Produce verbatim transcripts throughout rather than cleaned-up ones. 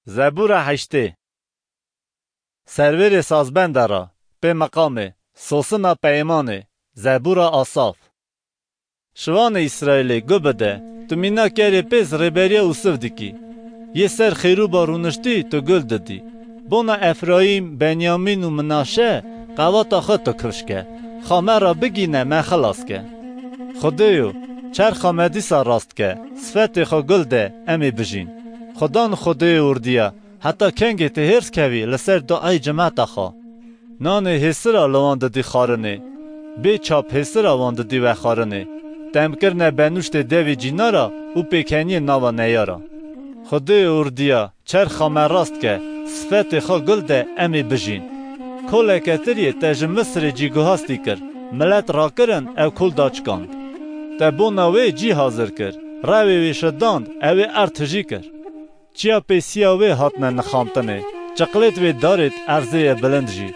Zebûra heştê. Servêrê sazbende ra, pê meqamê, sosina peymanê, zebûra Asaf. Şivanê Îsraîlê, gu bide, tu mîna kerê pêz rêberiya Ûsiv dikî. Yê ser xêrûba rûniştî tu gul didî. Bona Efrayîm, Benyamîn û Minaşe qewata xwe tu kifş ke. Xa me ra bigîne, me xilas ke. Xwedêyo, çerxa me dîsa rast ke, sifetê xwe gul de, em ê bijîn. Xudan Xwedêyo ordiya, heta kengê tê hêrs kevî li ser duayê cimeta xwe. Nanê hêsira li wan didî xwarinê. Bê çap hêsira wan didî vexwarinê. Temkirine benûştê devê cînara û pêkeniyê nava neyara. Xwedê ordiya, çerxa me rast ke, sifetê xwe gul de, em ê bijîn. Koleke tiriyê te ji Misirê cîguhastî kir, milet rakirin, ew kol daçikand. Te bona wê cî hazir kir, rewê wê şidand, ew ê erd tijî kir. Çiya pêsiya wê hatine nixamtinê, çiqlêt wê darêt erzê ye bilind jî.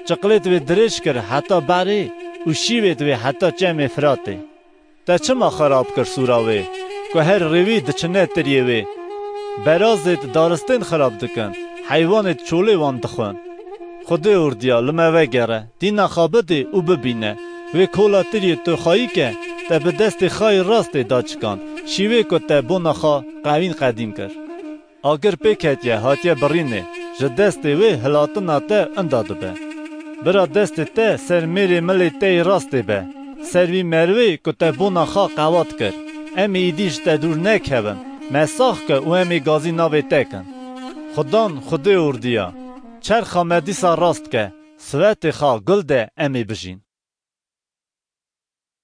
Çiqlêt wê dirêj kir heta berê û şîvêt wê heta çemê Firatê. Te çima xirab kir sûra wê, ku her rêwî diçine tiriyê wê? Berazêt daristên xirab dikin, heywanêt çolê wan dixwin. Xwedê ordiya, li me vegere, dîna xwe bidê û bibîne. Wê kola tiriyê tu xwayî ke, te bi destê xwe yê rastê daçikand, şîvê ku te bona xwe qewîn qedîm kir. Agir pê ketiye, hatiye birînê, ji destê wê hilatina te inda dibe. Bira destê te ser mêrê milê te yê rastê be, ser vî merivê ku te bona xwe qewat kir. Em ê îdî ji te dûr nekevin, me sax ke û em ê gazî navê te kin. Xudan, Xwedê ordiya, çerxa me dîsa rast ke, sivetê xwe gul de, em ê bijîn.